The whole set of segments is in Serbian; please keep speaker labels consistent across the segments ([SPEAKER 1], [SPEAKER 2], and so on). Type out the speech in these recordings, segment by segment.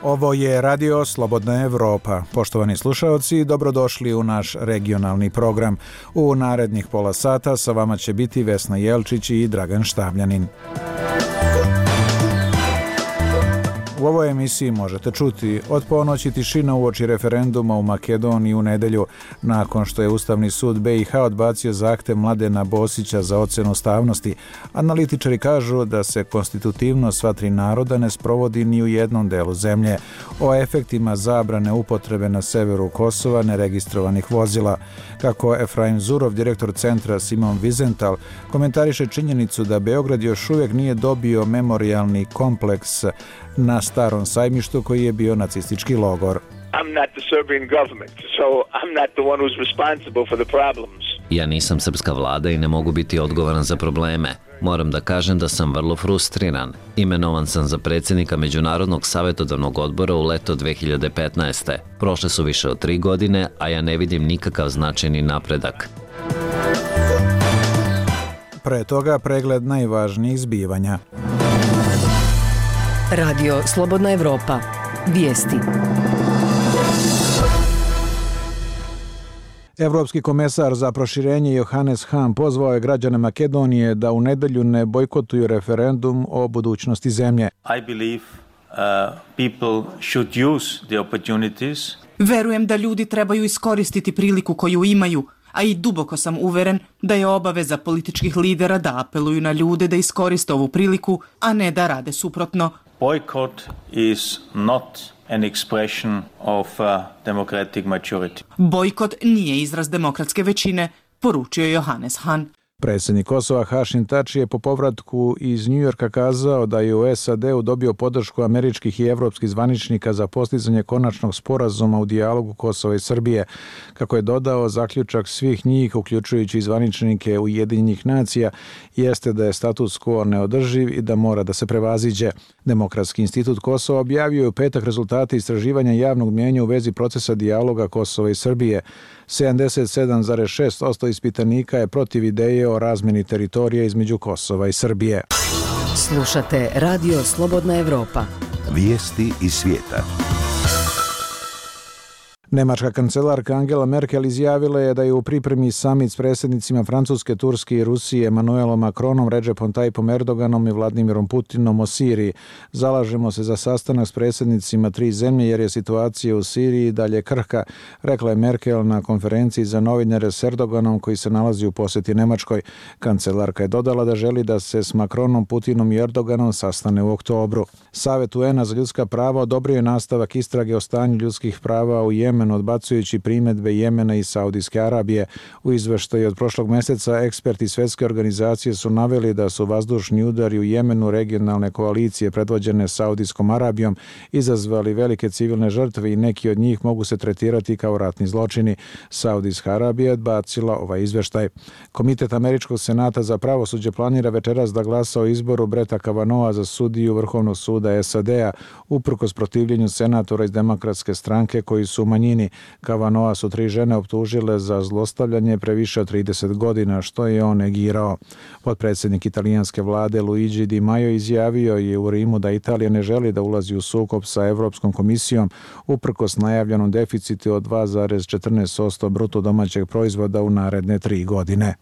[SPEAKER 1] Ovo je Radio Slobodna Evropa. Poštovani slušaoci, dobrodošli u naš regionalni program. U narednih pola sata sa vama će biti Vesna Jelčić i Dragan Štavljanin. U ovoj emisiji možete čuti od ponoći tišina uoči referenduma u Makedoniji u nedelju, nakon što je Ustavni sud BiH odbacio zahtev Mladena Bosića za ocenu ustavnosti. Analitičari kažu da se konstitutivnost sva tri naroda ne sprovodi ni u jednom delu zemlje. O efektima zabrane upotrebe na severu Kosova neregistrovanih vozila. Kako Efraim Zurov, direktor centra Simon Wiesenthal, komentariše činjenicu da Beograd još uvijek nije dobio memorijalni kompleks na Starom sajmištu koji je bio nacistički logor.
[SPEAKER 2] Ja nisam srpska vlada i ne mogu biti odgovoran za probleme. Moram da kažem da sam vrlo frustriran. Imenovan sam za predsjednika Međunarodnog savjetodavnog odbora u leto 2015. Prošle su više od 3 godine, a ja ne vidim nikakav značajni napredak.
[SPEAKER 1] Pre toga pregled najvažnijih zbivanja.
[SPEAKER 3] Radio Slobodna Evropa. Vijesti.
[SPEAKER 1] Evropski komesar za proširenje Johannes Hahn pozvao je građane Makedonije da u nedelju ne bojkotuju referendum o budućnosti zemlje.
[SPEAKER 4] I believe people should use the opportunities.
[SPEAKER 5] Verujem da ljudi trebaju iskoristiti priliku koju imaju, a i duboko sam uveren da je obaveza političkih lidera da apeluju na ljude da iskoriste ovu priliku, a ne da rade suprotno.
[SPEAKER 4] Boycott is not an expression of democratic majority.
[SPEAKER 5] Bojkot nije izraz demokratske većine, poručio je Johannes Hahn.
[SPEAKER 1] Predsjednik Kosova Hašim Tači je po povratku iz Njujorka kazao da je u SAD-u dobio podršku američkih i evropskih zvaničnika za postizanje konačnog sporazuma u dijalogu Kosova i Srbije. Kako je dodao, zaključak svih njih, uključujući i zvaničnike Ujedinjenih nacija, jeste da je status quo neodrživ i da mora da se prevaziđe. Demokratski institut Kosova objavio je u petak rezultate istraživanja javnog mnijenja u vezi procesa dijaloga Kosova i Srbije. 77,6% ispitanika je protiv ideje o razmjeni teritorija između Kosova i Srbije.
[SPEAKER 3] Slušate Radio Slobodna Evropa.
[SPEAKER 6] Vijesti iz svijeta.
[SPEAKER 1] Nemačka kancelarka Angela Merkel izjavila je da je u pripremi samit s predsjednicima Francuske, Turske i Rusije Emmanuelom Macronom, Recepom Tayyipom Erdoganom i Vladimirom Putinom o Siriji. Zalažemo se za sastanak s predsjednicima tri zemlje jer je situacija u Siriji dalje krhka, rekla je Merkel na konferenciji za novinare s Erdoganom koji se nalazi u posjeti Nemačkoj. Kancelarka je dodala da želi da se s Macronom, Putinom i Erdoganom sastane u oktobru. Savet UN-a za ljudska prava odobrio je nastavak istrage o stanju ljudskih prava u Jemenu, odbacujući primjedbe Jemena i Saudijske Arabije. U izveštaju od prošlog mjeseca eksperti Svjetske organizacije su naveli da su vazdušni udari u Jemenu regionalne koalicije predvođene Saudijskom Arabijom izazvali velike civilne žrtve i neki od njih mogu se tretirati kao ratni zločini. Saudijska Arabija je odbacila ovaj izveštaj. Komitet Američkog senata za pravosuđe planira večeras da glasa o izboru Bretta Kavanogha za sudiju Vrhovnog suda SAD-a, uprkos protivljenju senatora iz Demokratske stranke koji su u manjini. Kavanogha su 3 žene optužile za zlostavljanje pre više od 30 godina, što je on negirao. Potpredsjednik italijanske vlade Luigi Di Maio izjavio je u Rimu da Italija ne želi da ulazi u sukob sa Evropskom komisijom uprkos najavljenom deficitu od 2,14% bruto domaćeg proizvoda u naredne 3 godine.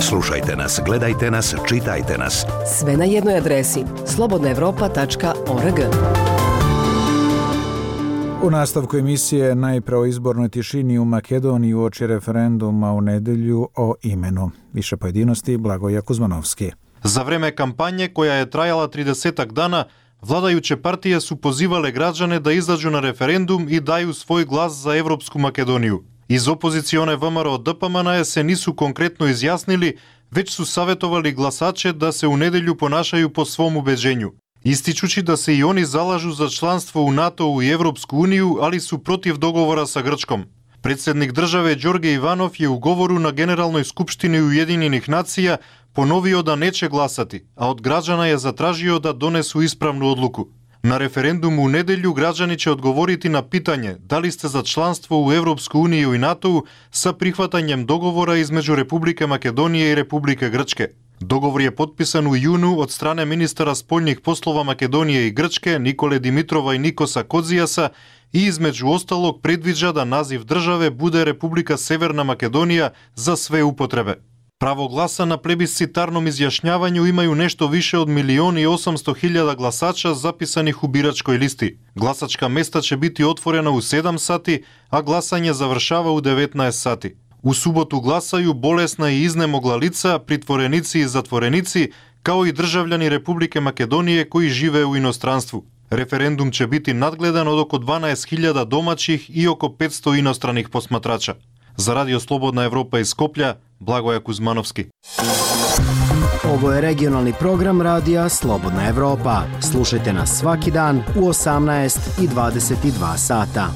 [SPEAKER 6] Slušajte nas, gledajte nas, čitajte nas.
[SPEAKER 3] Sve na jednoj adresi slobodnaevropa.org.
[SPEAKER 1] U nastavku emisije najpre o izbornoj tišini u Makedoniji uoči referenduma u nedelju o imenu. Više pojedinosti Blagoja Kuzmanovski.
[SPEAKER 7] Za vreme kampanje koja je trajala 30 dana, vladajuće partije su pozivale građane da izađu na referendum i daju svoj glas za Evropsku Makedoniju. Iz opozicione VMRO DPMNE se nisu konkretno izjasnili, već su savjetovali glasače da se u nedelju ponašaju po svom ubeđenju. Ističući da se i oni zalažu za članstvo u NATO-u i Evropsku uniju, ali su protiv dogovora sa Grčkom. Predsjednik države Đorđe Ivanov je u govoru na Generalnoj skupštini Ujedinjenih nacija ponovio da neće glasati, a od građana je zatražio da donesu ispravnu odluku. Na referendumu u nedelju građani će odgovoriti na pitanje da li ste za članstvo u Evropsku uniju i NATO-u sa prihvatanjem dogovora između Republike Makedonije i Republike Grčke. Договор je potpisan u junu od strane ministara spoljnih poslova Makedonije i Grčke Nikole Dimitrova i Nikosa Kozijasa i između ostalog predviđa da naziv države bude Republika Severna Makedonija za sve upotrebe. Pravo glasa na plebiscitarnom izjašnjavanju imaju nešto više od 1.800.000 glasača zapisanih u biračkoj listi. Glasačka mesta će biti otvorena u 7 sati, a glasanje završava u 19 sati. U subotu glasaju bolesna i iznemogla lica, pritvorenici i zatvorenici, kao i državljani Republike Makedonije koji žive u inostranstvu. Referendum će biti nadgledan od oko 12.000 domaćih i oko 500 inostranih posmatrača. Za Radio Slobodna Evropa iz Skoplja, Blagoja Kuzmanovski.
[SPEAKER 8] Ovo je regionalni program Radija Slobodna Evropa. Slušajte nas svaki dan u 18 i 22 sata.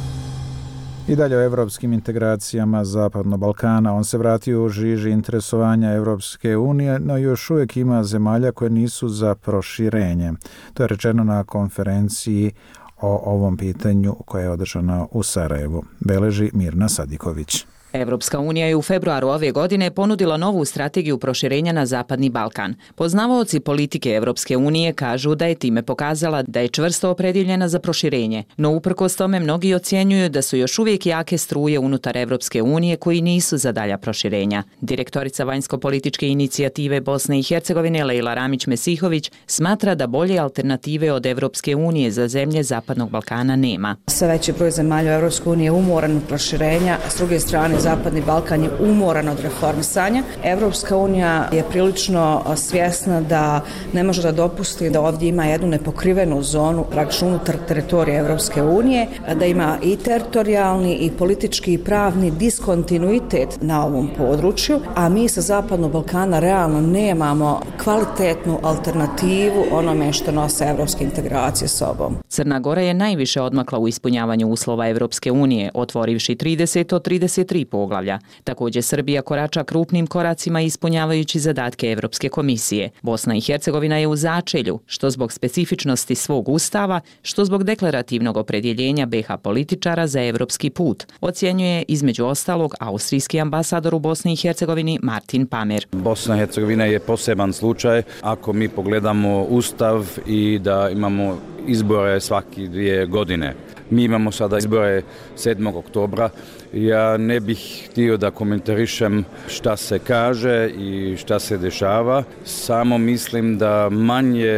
[SPEAKER 1] I dalje o evropskim integracijama Zapadnog Balkana. On se vratio u žiži interesovanja Evropske unije, no još uvijek ima zemalja koje nisu za proširenje. To je rečeno na konferenciji o ovom pitanju koja je održana u Sarajevu. Beleži Mirna Sadiković.
[SPEAKER 9] Evropska unija je u februaru ove godine ponudila novu strategiju proširenja na Zapadni Balkan. Poznavaoci politike Evropske unije kažu da je time pokazala da je čvrsto opredjeljena za proširenje, no uprkos tome mnogi ocjenjuju da su još uvijek jake struje unutar Evropske unije koji nisu za dalja proširenja. Direktorica vanjsko-političke inicijative Bosne i Hercegovine Lejla Ramić-Mesihović smatra da bolje alternative od Evropske unije za zemlje Zapadnog Balkana nema.
[SPEAKER 10] Sve veći broj zemalja Evropske unije umoran od proširenja, s druge strane Zapadni Balkan je umoran od reformisanja. Evropska unija je prilično svjesna da ne može da dopusti da ovdje ima jednu nepokrivenu zonu praktično unutar teritorija Evropske unije, da ima i teritorijalni i politički i pravni diskontinuitet na ovom području, a mi sa Zapadnog Balkana realno nemamo kvalitetnu alternativu onome što nose evropske integracije sobom.
[SPEAKER 9] Crna Gora je najviše odmakla u ispunjavanju uslova Evropske unije, otvorivši 30 od 33 poglavlja. Također Srbija korača krupnim koracima ispunjavajući zadatke Evropske komisije. Bosna i Hercegovina je u začelju, što zbog specifičnosti svog ustava, što zbog deklarativnog opredjeljenja BiH političara za evropski put, ocjenjuje između ostalog austrijski ambasador u Bosni i Hercegovini Martin Pamer.
[SPEAKER 11] Bosna i Hercegovina je poseban slučaj ako mi pogledamo ustav i da imamo izbore svaki 2 godine. Mi imamo sada izbore 7. oktobra. Ja ne bih htio da komentarišem šta se kaže i šta se dešava. Samo mislim da manje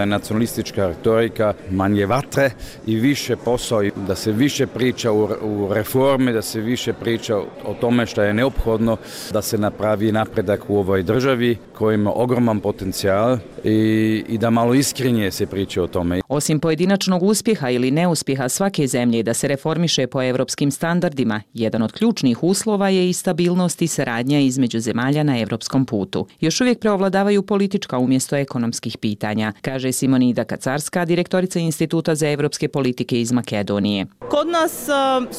[SPEAKER 11] nacionalistička retorika, manje vatre i više posao, da se više priča u reforme, da se više priča o tome šta je neophodno da se napravi napredak u ovoj državi koja ima ogroman potencijal i da malo iskrenije se priča o tome.
[SPEAKER 9] Osim pojedinačnog uspjeha ili neuspjeha svake zemlje da se reformiše po evropskim standardima, jedan od ključnih uslova je i stabilnost i saradnja između zemalja na evropskom putu. Još uvijek preovladavaju politička umjesto ekonomskih pitanja, kaže Simonida Kacarska, direktorica Instituta za evropske politike iz Makedonije.
[SPEAKER 12] Kod nas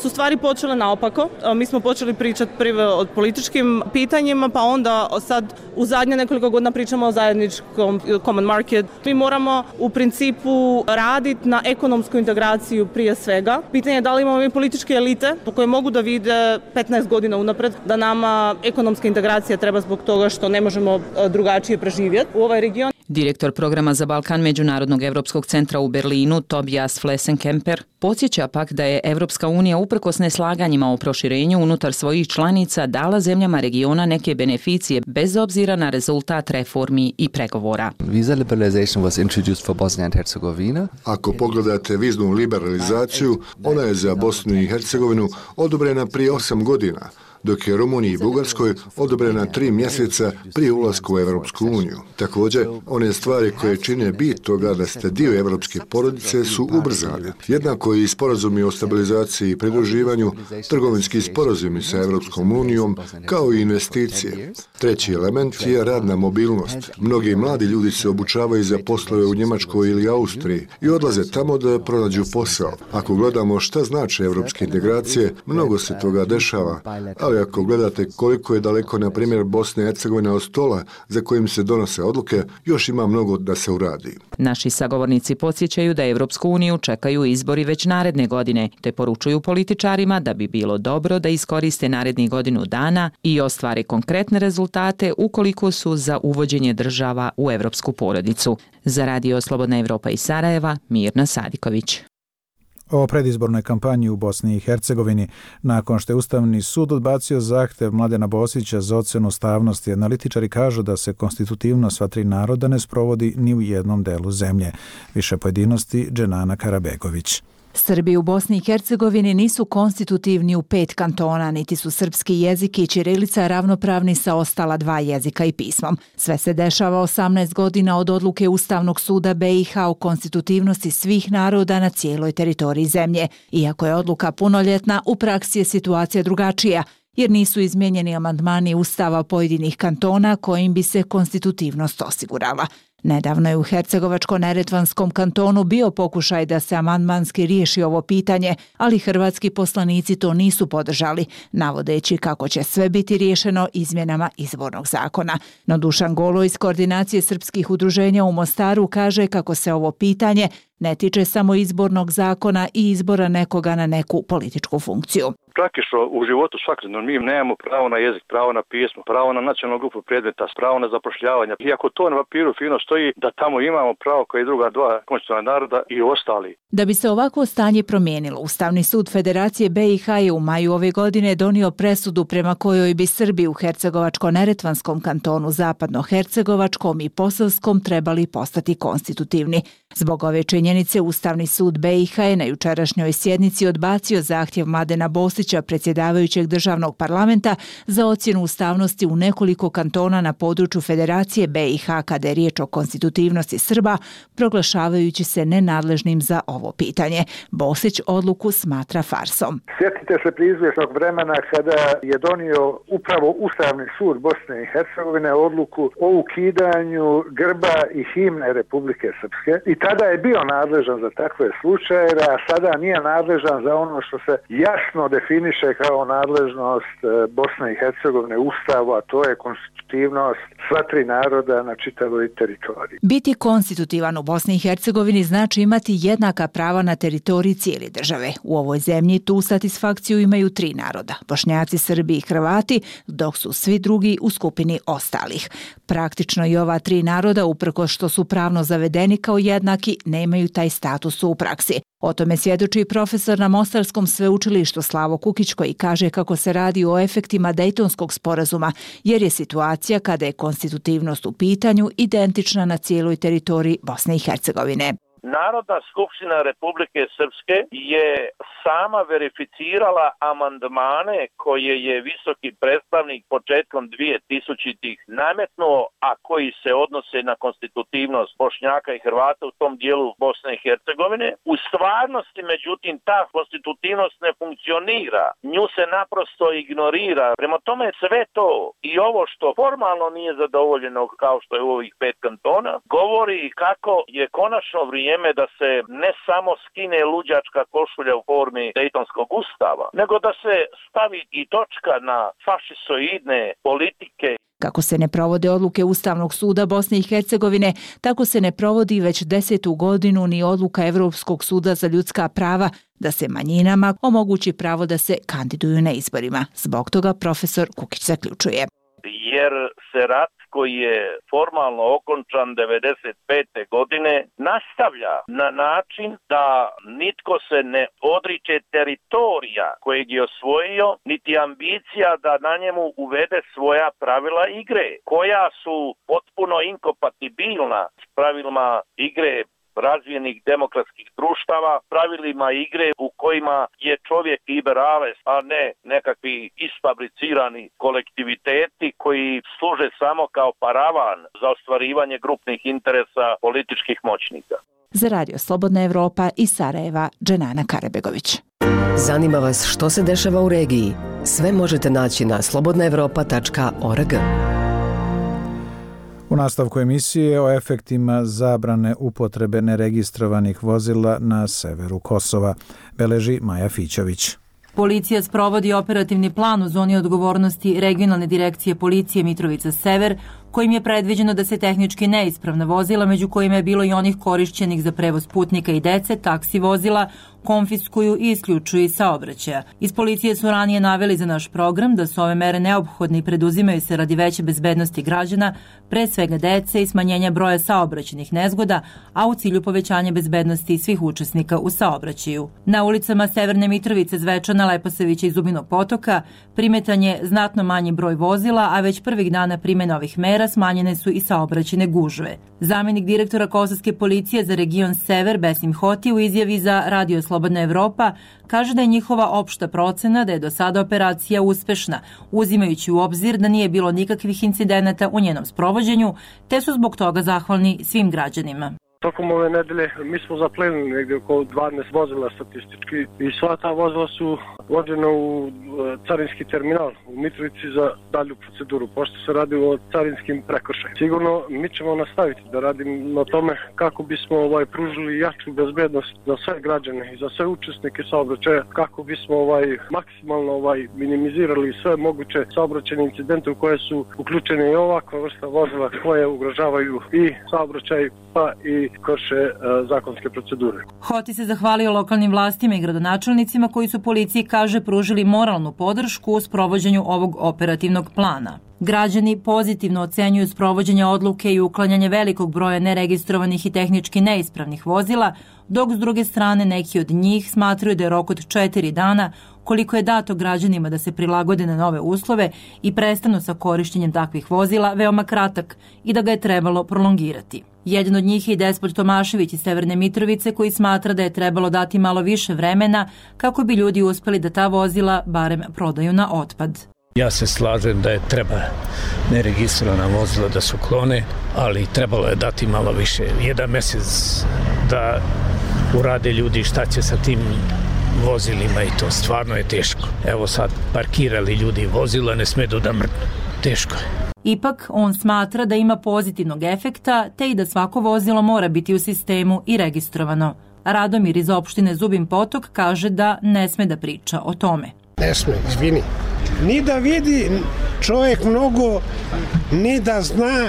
[SPEAKER 12] su stvari počele naopako. Mi smo počeli pričati prvo o političkim pitanjima, pa onda sad u zadnje nekoliko godina pričamo o zajedničkom common market. Mi moramo u principu raditi na ekonomsku integraciju prije svega. Pitanje je da li imamo mi političke elite koje mogu da vide 15 godina unapred da nama ekonomska integracija treba zbog toga što ne možemo drugačije preživjeti u ovaj region.
[SPEAKER 9] Direktor programa za Balkan Međunarodnog evropskog centra u Berlinu, Tobias Flessenkemper, podsjeća pak da je Evropska unija uprkos neslaganjima o proširenju unutar svojih članica dala zemljama regiona neke beneficije bez obzira na rezultat reformi i pregovora.
[SPEAKER 13] Visa liberalization was introduced for Bosnia and Herzegovina.
[SPEAKER 14] Ako pogledate viznu liberalizaciju, ona je za Bosnu i Hercegovinu odobrena prije 8 godina, dok je Rumuniji i Bugarskoj odobrena 3 mjeseca prije ulaska u Evropsku uniju. Također, one stvari koje čine bit toga da ste dio evropske porodice su ubrzane. Jednako i sporazumi o stabilizaciji i pridruživanju, trgovinski sporazumi sa Evropskom unijom, kao i investicije. Treći element je radna mobilnost. Mnogi mladi ljudi se obučavaju za poslove u Njemačkoj ili Austriji i odlaze tamo da pronađu posao. Ako gledamo šta znači evropske integracije, mnogo se toga dešava, ali ako gledate koliko je daleko, na primjer, Bosna i Hercegovina od stola za kojim se donose odluke, još ima mnogo da se uradi.
[SPEAKER 9] Naši sagovornici podsjećaju da Evropsku uniju čekaju izbori već naredne godine, te poručuju političarima da bi bilo dobro da iskoriste narednih godinu dana i ostvare konkretne rezultate ukoliko su za uvođenje država u evropsku porodicu. Za Radio Slobodna Evropa iz Sarajeva, Mirna Sadiković.
[SPEAKER 1] O predizbornoj kampanji u Bosni i Hercegovini, nakon što je Ustavni sud odbacio zahtev Mladena Bosića za ocjenu ustavnosti, analitičari kažu da se konstitutivnost sva tri naroda ne sprovodi ni u jednom delu zemlje. Više pojedinosti Dženana Karabegović.
[SPEAKER 15] Srbi u Bosni i Hercegovini nisu konstitutivni u 5 kantona, niti su srpski jezik i ćirilica ravnopravni sa ostala 2 jezika i pismom. Sve se dešava 18 godina od odluke Ustavnog suda BiH o konstitutivnosti svih naroda na cijeloj teritoriji zemlje. Iako je odluka punoljetna, u praksi je situacija drugačija, jer nisu izmijenjeni amandmani Ustava pojedinih kantona kojim bi se konstitutivnost osigurala. Nedavno je u Hercegovačko-neretvanskom kantonu bio pokušaj da se amandmanski riješi ovo pitanje, ali hrvatski poslanici to nisu podržali, navodeći kako će sve biti riješeno izmjenama izbornog zakona. No Dušan Golo iz Koordinacije srpskih udruženja u Mostaru kaže kako se ovo pitanje ne tiče samo izbornog zakona i izbora nekoga na neku političku funkciju.
[SPEAKER 16] Praktično u životu svakodnevno mi nemamo pravo na jezik, pravo na pismo, pravo na nacionalnu grupu predmeta, pravo na zapošljavanje. Iako to na papiru fino stoji da tamo imamo pravo kao i druga 2 konstitutivna naroda i ostali.
[SPEAKER 15] Da bi se ovako stanje promijenilo, Ustavni sud Federacije BiH je u maju ove godine donio presudu prema kojoj bi Srbi u Hercegovačko-neretvanskom kantonu, Zapadno-hercegovačkom i Posavskom trebali postati konstitutivni. Zbog ove činjenice Ustavni sud BiH je na jučerašnjoj sjednici odbacio zahtjev Mladena Bosića, predsjedavajućeg državnog parlamenta, za ocjenu ustavnosti u nekoliko kantona na području Federacije BiH kada je riječ o konstitutivnosti Srba, proglašavajući se nenadležnim za ovo pitanje. Bosić odluku smatra farsom.
[SPEAKER 17] Sjetite se priizvjesnog vremena kada je donio upravo Ustavni sud Bosne i Hercegovine odluku o ukidanju grba i himne Republike Srpske i tada je bio nadležan za takve slučajeve, a sada nije nadležan za ono što se jasno definiše kao nadležnost Bosne i Hercegovine Ustavu, a to je konstitutivnost sva tri naroda na čitavoj teritoriji.
[SPEAKER 15] Biti konstitutivan u Bosni i Hercegovini znači imati jednaka prava na teritoriji cijele države. U ovoj zemlji tu satisfakciju imaju 3 naroda, Bošnjaci, Srbi i Hrvati, dok su svi drugi u skupini ostalih. Praktično i ova 3 naroda, uprkos što su pravno zavedeni kao jednaki, nemaju taj status u praksi. O tome svjedoči profesor na Mostarskom sveučilištu Slavo Kukić, koji kaže kako se radi o efektima Dejtonskog sporazuma, jer je situacija kada je konstitutivnost u pitanju identična na cijeloj teritoriji Bosne i Hercegovine.
[SPEAKER 18] Narodna skupština Republike Srpske je sama verificirala amandmane koje je visoki predstavnik početkom 2000-ih nametnuo, a koji se odnose na konstitutivnost Bošnjaka i Hrvata u tom dijelu Bosne i Hercegovine. U stvarnosti, međutim, ta konstitutivnost ne funkcionira. Nju se naprosto ignorira. Prema tome sve to i ovo što formalno nije zadovoljeno, kao što je u ovih 5 kantona, govori kako je konačno vrijeme da se ne samo skine luđačka košulja u formi Dejtonskog ustava, nego da se stavi i točka na fašisoidne politike.
[SPEAKER 15] Kako se ne provode odluke Ustavnog suda Bosne i Hercegovine, tako se ne provodi već 10. godinu ni odluka Evropskog suda za ljudska prava da se manjinama omogući pravo da se kandiduju na izborima. Zbog toga profesor Kukić zaključuje.
[SPEAKER 18] Jer se rat koji je formalno okončan 95. godine nastavlja na način da nitko se ne odriče teritorija kojeg je osvojio, niti ambicija da na njemu uvede svoja pravila igre, koja su potpuno inkompatibilna s pravilima igre razvijenih demokratskih društava, pravilima igre u kojima je čovjek liberales, a ne nekakvi isfabricirani kolektiviteti koji služe samo kao paravan za ostvarivanje grupnih interesa političkih moćnika.
[SPEAKER 15] Za Radio Slobodna Evropa iz Sarajeva, Dženana Karabegović.
[SPEAKER 3] Zanima vas što se dešava u regiji? Sve možete naći na slobodnaevropa.org.
[SPEAKER 1] U nastavku emisije o efektima zabrane upotrebe neregistrovanih vozila na severu Kosova, beleži Maja Fićović.
[SPEAKER 15] Policija sprovodi operativni plan u zoni odgovornosti Regionalne direkcije policije Mitrovica Sever, kojim je predviđeno da se tehnički neispravna vozila, među kojima je bilo i onih korišćenih za prevoz putnika i dece, taksi vozila, konfiskuju i isključuju iz saobraćaja. Iz policije su ranije naveli za naš program da su ove mere neophodne i preduzimaju se radi veće bezbednosti građana, pre svega dece i smanjenja broja saobraćajnih nezgoda, a u cilju povećanja bezbednosti svih učesnika u saobraćaju. Na ulicama Severne Mitrovice, Zvečana, Leposavića i Zubinog Potoka primetan je znatno manji broj vozila, a već prvih dana primjene ovih mera smanjene su i saobraćajne gužve. Zamenik direktora Kosovske policije za region Sever, Besim Hoti, u izjavi za Radio Slobodna Evropa kaže da je njihova opšta procena da je do sada operacija uspešna, uzimajući u obzir da nije bilo nikakvih incidenata u njenom sprovođenju, te su zbog toga zahvalni svim građanima.
[SPEAKER 19] Tokom ove nedelje mi smo zaplenili negdje oko 12 vozila statistički i sva ta vozila su vođena u carinski terminal u Mitrovici za dalju proceduru, pošto se radi o carinskim prekršajima. Sigurno mi ćemo nastaviti da radimo na tome kako bismo pružili jaču bezbednost za sve građane i za sve učesnike saobraćaja, kako bismo maksimalno minimizirali sve moguće saobraćajne incidente u koje su uključene i ovakva vrsta vozila koje ugrožavaju i saobraćaj pa i krše zakonske procedure.
[SPEAKER 15] Hoti se zahvalio lokalnim vlastima i gradonačelnicima koji su policiji, kaže, pružili moralnu podršku u sprovođenju ovog operativnog plana. Građani pozitivno ocenjuju sprovođenje odluke i uklanjanje velikog broja neregistrovanih i tehnički neispravnih vozila, dok s druge strane neki od njih smatraju da je rok od 4 dana, koliko je dato građanima da se prilagode na nove uslove i prestanu sa korišćenjem takvih vozila, veoma kratak i da ga je trebalo prolongirati. Jedan od njih je i Despot Tomašević iz Severne Mitrovice, koji smatra da je trebalo dati malo više vremena kako bi ljudi uspeli da ta vozila barem prodaju na otpad.
[SPEAKER 20] Ja se slažem da je treba neregistrovana vozila da se uklone, ali trebalo je dati malo više. 1 mesec da urade ljudi šta će sa tim vozilima i to stvarno je teško. Evo sad parkirali ljudi vozila, ne smedu da mrnu. Teško je.
[SPEAKER 15] Ipak, on smatra da ima pozitivnog efekta, te i da svako vozilo mora biti u sistemu i registrovano. Radomir iz opštine Zubin Potok kaže da ne sme da priča o tome.
[SPEAKER 21] Ne sme, izvini. Ni da vidi čovjek mnogo, ni da zna,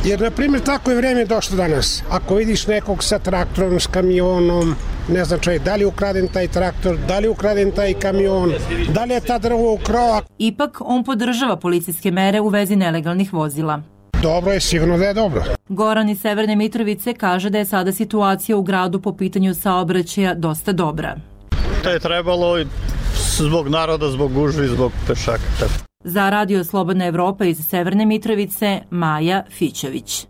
[SPEAKER 21] jer, na primjer, tako je vrijeme došlo danas. Ako vidiš nekog sa traktorom, s kamionom, ne znam čovjek, da li je ukraden taj traktor, da li je ukraden taj kamion, da li je ta drvo ukrao.
[SPEAKER 15] Ipak, on podržava policijske mere u vezi nelegalnih vozila.
[SPEAKER 21] Dobro je, sigurno da je dobro.
[SPEAKER 15] Goran iz Severne Mitrovice kaže da je sada situacija u gradu po pitanju saobraćaja dosta dobra.
[SPEAKER 22] To je trebalo zbog naroda, zbog gužvi, zbog pešaka.
[SPEAKER 15] Za Radio Slobodna Evropa iz Severne Mitrovice, Maja Fićević.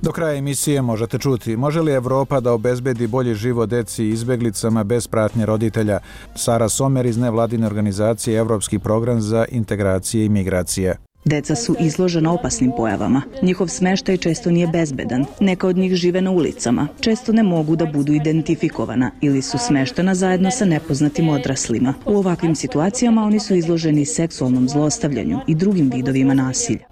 [SPEAKER 1] Do kraja emisije možete čuti: može li Evropa da obezbedi bolji život deci i izbeglicama bez pratnje roditelja? Sara Somer iz nevladine organizacije Evropski program za integracije i migracije.
[SPEAKER 23] Deca su izložena opasnim pojavama. Njihov smeštaj često nije bezbedan. Neka od njih žive na ulicama. Često ne mogu da budu identifikovana ili su smeštena zajedno sa nepoznatim odraslima. U ovakvim situacijama oni su izloženi seksualnom zlostavljanju i drugim vidovima nasilja.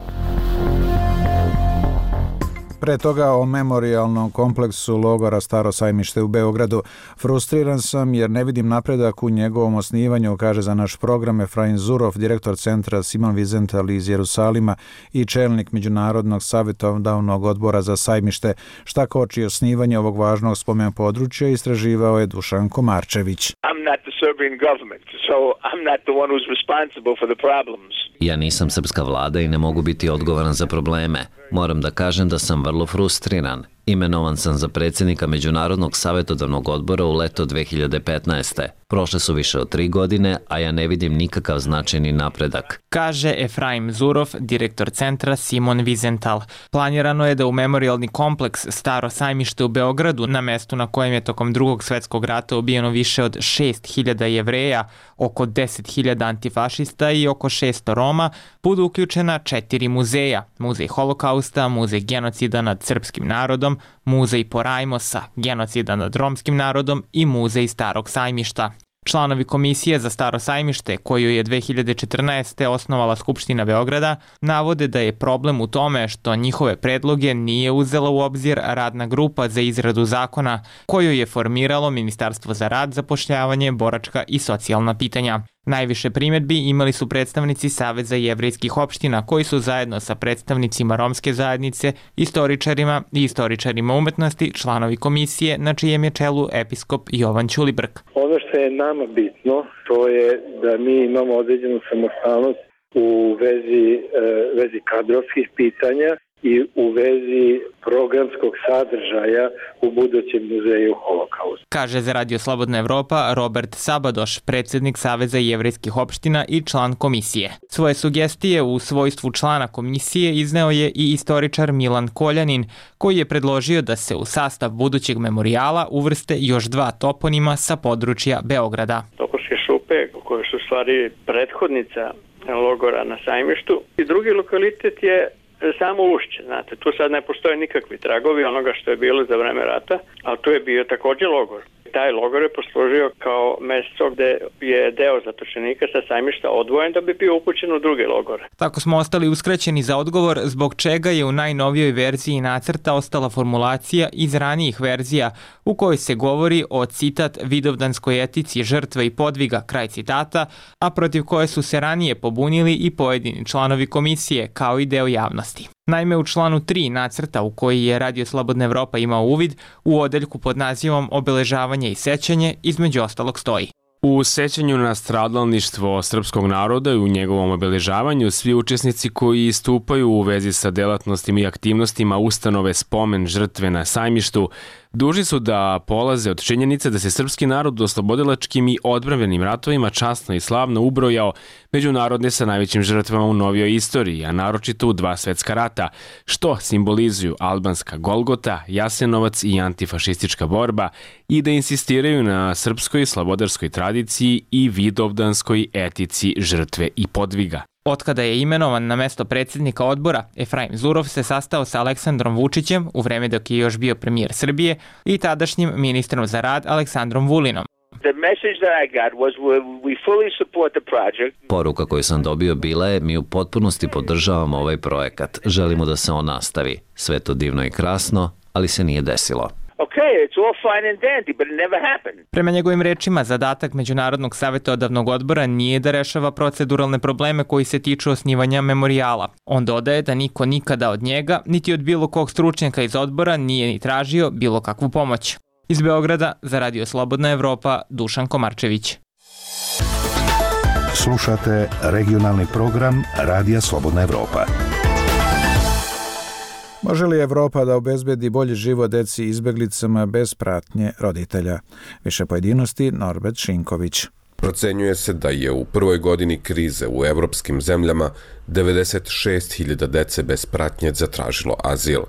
[SPEAKER 1] Pre toga o memorijalnom kompleksu logora Staro Sajmište u Beogradu. Frustriran sam jer ne vidim napredak u njegovom osnivanju, kaže za naš program Efraim Zurov, direktor centra Simon Wiesenthal iz Jerusalima i čelnik Međunarodnog savjetodavnog odbora za Sajmište. Šta koči osnivanje ovog važnog spomen područja istraživao je Dušan Komarčević.
[SPEAKER 2] Ja nisam srpska vlada i ne mogu biti odgovoran za probleme. Moram da kažem da sam vrlo frustriran. Imenovan sam za predsjednika Međunarodnog savjetodavnog odbora u leto 2015. Prošle su više od 3 godine, a ja ne vidim nikakav značajni napredak.
[SPEAKER 24] Kaže Efraim Zurov, direktor centra Simon Wiesenthal. Planirano je da u memorijalni kompleks Staro Sajmište u Beogradu, na mestu na kojem je tokom Drugog svjetskog rata ubijeno više od 6.000 Jevreja, oko 10.000 antifašista i oko 600 Roma, budu uključena 4 muzeja. Muzej holokausta, muzej genocida nad srpskim narodom, muzej Porajmosa, genocida nad romskim narodom i muzej Starog Sajmišta. Članovi Komisije za Staro sajmište, koju je 2014. osnovala Skupština Beograda, navode da je problem u tome što njihove predloge nije uzela u obzir radna grupa za izradu zakona, koju je formiralo Ministarstvo za rad, zapošljavanje, boračka i socijalna pitanja. Najviše primjedbi imali su predstavnici Saveza jevrejskih opština, koji su zajedno sa predstavnicima romske zajednice, istoričarima i istoričarima umetnosti članovi komisije, na čijem je čelu episkop Jovan Ćulibrk.
[SPEAKER 4] Ono što je nama bitno, to je da mi imamo određenu samostalnost u vezi kadrovskih pitanja i u vezi programskog sadržaja u budućem muzeju Holokausta.
[SPEAKER 24] Kaže za Radio Slobodna Evropa Robert Sabadoš, predsjednik Saveza jevrejskih opština i član komisije. Svoje sugestije u svojstvu člana komisije izneo je i istoričar Milan Koljanin, koji je predložio da se u sastav budućeg memorijala uvrste još 2 toponima sa područja Beograda.
[SPEAKER 5] Topovske šupe, koje su stvari prethodnica logora na Sajmištu, i drugi lokalitet je samo Ušće, znate, tu sad ne postoje nikakvi tragovi onoga što je bilo za vreme rata, ali tu je bio također logor. Taj logor je poslužio kao mjesto gde je deo zatočenika sa Sajmišta odvojen da bi bio upućen u druge logore.
[SPEAKER 24] Tako smo ostali uskraćeni za odgovor zbog čega je u najnovijoj verziji nacrta ostala formulacija iz ranijih verzija u kojoj se govori o, citat, vidovdanskoj etici žrtve i podviga, kraj citata, a protiv koje su se ranije pobunili i pojedini članovi komisije kao i deo javnosti. Naime, u članu 3 nacrta u koji je Radio Slobodna Evropa imao uvid, u odeljku pod nazivom Obeležavanje i sećanje, između ostalog stoji:
[SPEAKER 6] U sećanju na stradalništvo srpskog naroda i u njegovom obeležavanju svi učesnici koji istupaju u vezi sa delatnostima i aktivnostima ustanove Spomen žrtve na Sajmištu dužni su da polaze od činjenice da se srpski narod u oslobodilačkim i odbrambenim ratovima časno i slavno ubrojao među narode sa najvećim žrtvama u novijoj istoriji, a naročito u 2 svetska rata, što simbolizuju albanska Golgota, Jasenovac i antifašistička borba, i da insistiraju na srpskoj slobodarskoj tradiciji i vidovdanskoj etici žrtve i podviga.
[SPEAKER 24] Otkada je imenovan na mesto predsjednika odbora, Efraim Zurov se sastao sa Aleksandrom Vučićem u vreme dok je još bio premijer Srbije i tadašnjim ministrom za rad Aleksandrom Vulinom.
[SPEAKER 2] Poruka koju sam dobio bila je: mi u potpunosti podržavamo ovaj projekat, želimo da se on nastavi. Sve to divno i krasno, ali se nije desilo.
[SPEAKER 24] Prema njegovim rečima, zadatak Međunarodnog savjetodavnog odbora nije da rešava proceduralne probleme koji se tiču osnivanja memorijala. On dodaje da niko nikada od njega, niti od bilo kog stručnjaka iz odbora nije ni tražio bilo kakvu pomoć. Iz Beograda za Radio Slobodna Evropa, Dušan Komarčević.
[SPEAKER 7] Slušate regionalni program Radija Slobodna Evropa.
[SPEAKER 1] Može li Evropa da obezbedi bolji život deci izbeglicama bez pratnje roditelja? Više pojedinosti, Norbert Šinković.
[SPEAKER 25] Procenjuje se da je u prvoj godini krize u evropskim zemljama 96.000 dece bez pratnje zatražilo azil.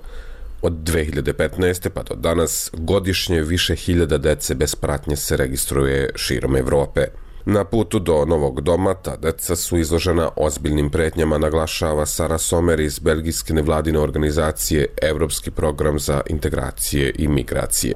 [SPEAKER 25] Od 2015. pa do danas godišnje više hiljada dece bez pratnje se registruje širom Evrope. Na putu do novog doma ta deca su izložena ozbiljnim pretnjama, naglašava Sara Somer iz belgijske nevladine organizacije Evropski program za integracije i migracije.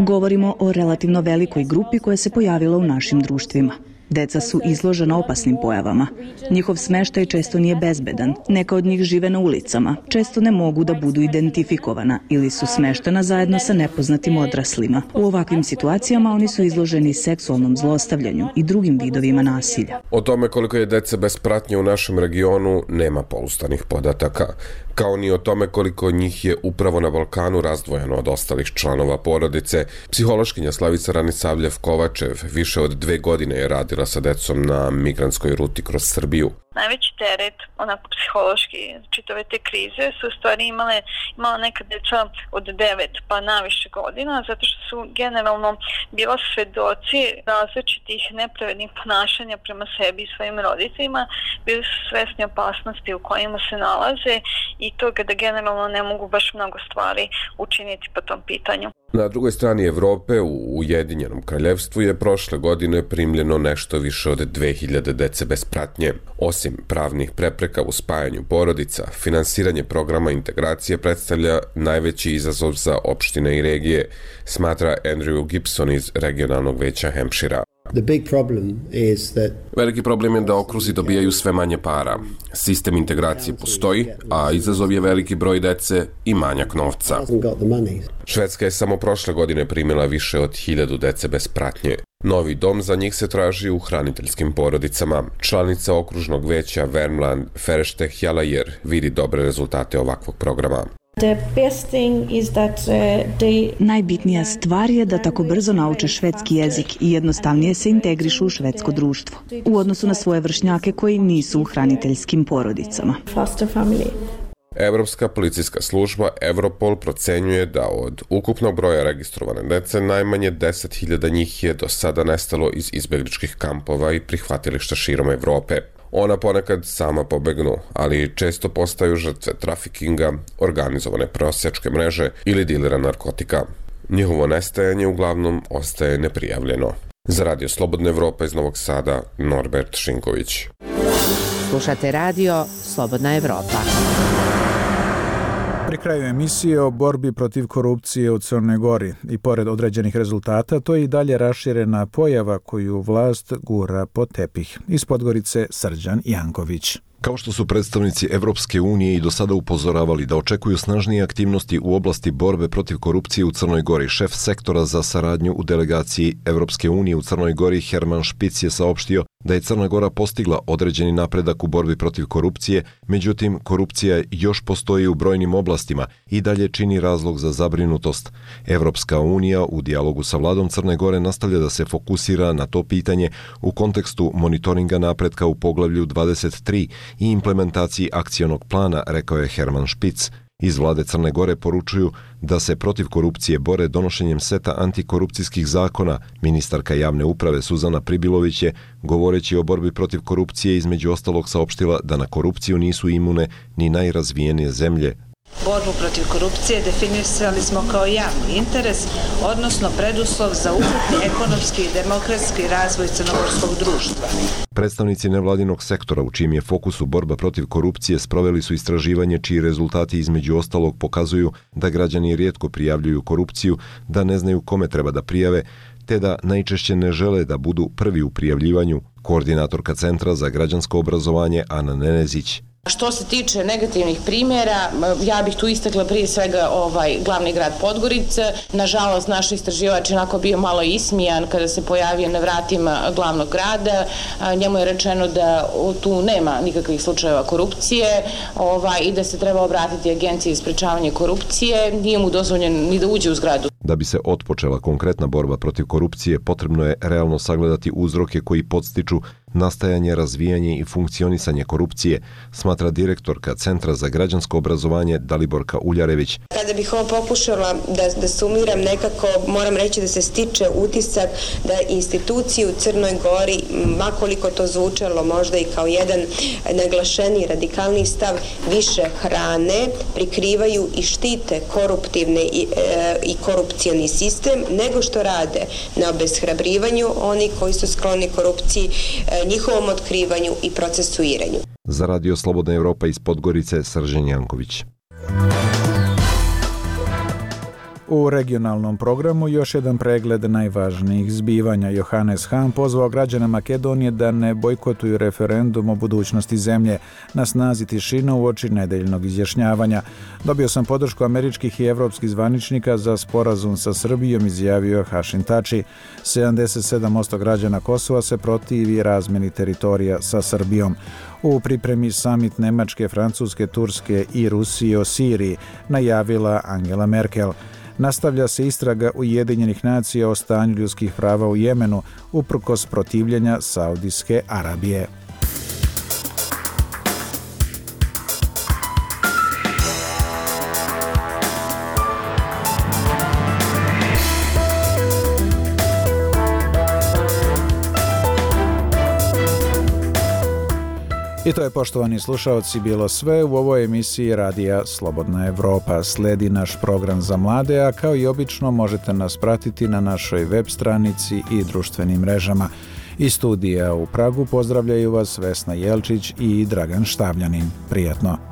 [SPEAKER 23] Govorimo o relativno velikoj grupi koja se pojavila u našim društvima. Deca su izložena opasnim pojavama. Njihov smeštaj često nije bezbedan. Neka od njih žive na ulicama. Često ne mogu da budu identifikovana ili su smeštena zajedno sa nepoznatim odraslima. U ovakvim situacijama oni su izloženi seksualnom zlostavljanju i drugim vidovima nasilja.
[SPEAKER 25] O tome koliko je dece bez pratnje u našem regionu nema pouzdanih podataka, kao ni o tome koliko njih je upravo na Balkanu razdvojeno od ostalih članova porodice. Psihološkinja Slavica Ranisavljev-Kovačev više od 2 godine je radila sa decom na migrantskoj ruti kroz Srbiju.
[SPEAKER 26] Najveći teret, onako psihološki, čitave te krize su u stvari imala neka deca od 9 pa naviše godina, zato što su generalno bila svedoci različitih nepravednih ponašanja prema sebi i svojim roditeljima, bili su svesni opasnosti u kojima se nalaze i toga da generalno ne mogu baš mnogo stvari učiniti po tom pitanju.
[SPEAKER 25] Na drugoj strani Evrope, u Ujedinjenom kraljevstvu, je prošle godine primljeno nešto više od 2000 dece bez pratnje. Osim pravnih prepreka u spajanju porodica, finansiranje programa integracije predstavlja najveći izazov za opštine i regije, smatra Andrew Gibson iz regionalnog veća Hampshira. Veliki problem je da okruzi dobijaju sve manje para. Sistem integracije postoji, a izazov je veliki broj dece i manjak novca. Švedska je samo prošle godine primila više od 1000 dece bez pratnje. Novi dom za njih se traži u hraniteljskim porodicama. Članica okružnog veća Värmland, Feršte Hjalajer, vidi dobre rezultate ovakvog programa.
[SPEAKER 23] Najbitnija stvar je da tako brzo nauče švedski jezik i jednostavnije se integrišu u švedsko društvo, u odnosu na svoje vršnjake koji nisu u hraniteljskim porodicama.
[SPEAKER 25] Evropska policijska služba Europol procenjuje da od ukupnog broja registrovane dece najmanje 10.000 njih je do sada nestalo iz izbegličkih kampova i prihvatilišta širom Evrope. Ona ponekad sama pobegnu, ali često postaju žrtve trafikinga, organizovane prosjačke mreže ili dilera narkotika. Njihovo nestajanje uglavnom ostaje neprijavljeno. Za Radio Slobodna Evropa iz Novog Sada, Norbert Šinković.
[SPEAKER 8] Slušate radio Slobodna Evropa.
[SPEAKER 1] Pri kraju emisije o borbi protiv korupcije u Crnoj Gori i pored određenih rezultata, to je i dalje raširena pojava koju vlast gura pod tepih. Iz Podgorice Srđan Janković.
[SPEAKER 10] Kao što su predstavnici Evropske unije i do sada upozoravali da očekuju snažnije aktivnosti u oblasti borbe protiv korupcije u Crnoj Gori, šef sektora za saradnju u delegaciji Evropske unije u Crnoj Gori Herman Špic je saopštio da je Crna Gora postigla određeni napredak u borbi protiv korupcije, međutim korupcija još postoji u brojnim oblastima i dalje čini razlog za zabrinutost. Evropska unija u dijalogu sa vladom Crne Gore nastavlja da se fokusira na to pitanje u kontekstu monitoringa napretka u poglavlju 23 i implementaciji akcionog plana, rekao je Herman Špic. Iz vlade Crne Gore poručuju da se protiv korupcije bore donošenjem seta antikorupcijskih zakona. Ministarka javne uprave Suzana Pribilović je, govoreći o borbi protiv korupcije, između ostalog saopštila da na korupciju nisu imune ni najrazvijenije zemlje.
[SPEAKER 11] Borbu protiv korupcije definisali smo kao javni interes, odnosno preduslov za ukupni ekonomski i demokratski razvoj crnogorskog društva.
[SPEAKER 10] Predstavnici nevladinog sektora u čijem je fokusu borba protiv korupcije sproveli su istraživanje čiji rezultati između ostalog pokazuju da građani rijetko prijavljuju korupciju, da ne znaju kome treba da prijave, te da najčešće ne žele da budu prvi u prijavljivanju. Koordinatorka Centra za građansko obrazovanje Ana Nenezić.
[SPEAKER 12] Što se tiče negativnih primjera, ja bih tu istakla prije svega glavni grad Podgorica. Nažalost, naš istraživač je onako bio malo ismijan kada se pojavio na vratima glavnog grada. Njemu je rečeno da tu nema nikakvih slučajeva korupcije i da se treba obratiti Agenciji za sprečavanje korupcije. Nije mu dozvoljeno ni da uđe u zgradu.
[SPEAKER 10] Da bi se otpočela konkretna borba protiv korupcije, potrebno je realno sagledati uzroke koji podstiču nastajanje, razvijanje i funkcionisanje korupcije, smatra direktorka Centra za građansko obrazovanje Daliborka Uljarević.
[SPEAKER 13] Kada bih ovo pokušala da sumiram, nekako moram reći da se stiče utisak da institucije u Crnoj Gori, makoliko to zvučalo možda i kao jedan naglašeni radikalni stav, više hrane, prikrivaju i štite koruptivne i korupcioni sistem, nego što rade na obeshrabrivanju oni koji su skloni korupciji, njihovom otkrivanju i procesuiranju.
[SPEAKER 10] Za Radio Slobodna Evropa iz Podgorice, Srđan Janković.
[SPEAKER 1] U regionalnom programu još jedan pregled najvažnijih zbivanja. Johannes Hahn pozvao građane Makedonije da ne bojkotuju referendum o budućnosti zemlje. Na snazi tišina uoči nedeljnog izjašnjavanja. Dobio sam podršku američkih i evropskih zvaničnika za sporazum sa Srbijom, izjavio Hašim Tači. 77% građana Kosova se protivi razmeni teritorija sa Srbijom. U pripremi samit Nemačke, Francuske, Turske i Rusije o Siriji, najavila Angela Merkel. Nastavlja se istraga Ujedinjenih nacija o stanju ljudskih prava u Jemenu, uprkos protivljenja Saudijske Arabije. I to je, poštovani slušaoci, bilo sve u ovoj emisiji Radija Slobodna Evropa. Sledi naš program za mlade, a kao i obično možete nas pratiti na našoj web stranici i društvenim mrežama. Iz studija u Pragu pozdravljaju vas Vesna Jelčić i Dragan Štavljanin. Prijatno!